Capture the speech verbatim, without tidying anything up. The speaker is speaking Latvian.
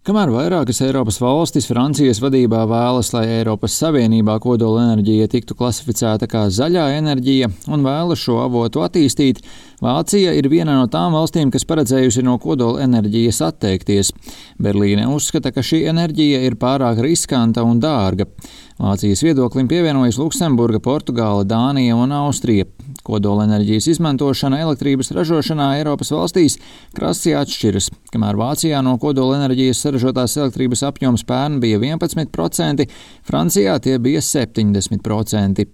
Kamēr vairākas Eiropas valstis Francijas vadībā vēlas, lai Eiropas Savienībā kodolenerģija tiktu klasificēta kā zaļā enerģija un vēlas šo avotu attīstīt, Vācija ir viena no tām valstīm, kas paredzējusi no kodolenerģijas atteikties. Berlīne uzskata, ka šī enerģija ir pārāk riskanta un dārga. Vācijas viedoklim pievienojas Luksemburga, Portugāla, Dānija un Austrija. Kodolenerģijas izmantošana elektrības ražošanā Eiropas valstīs krasi atšķiras. Kamēr Vācijā no kodolenerģijas saražotās elektrības apjoms pērn bija vienpadsmit procenti, Francijā tie bija septiņdesmit procenti.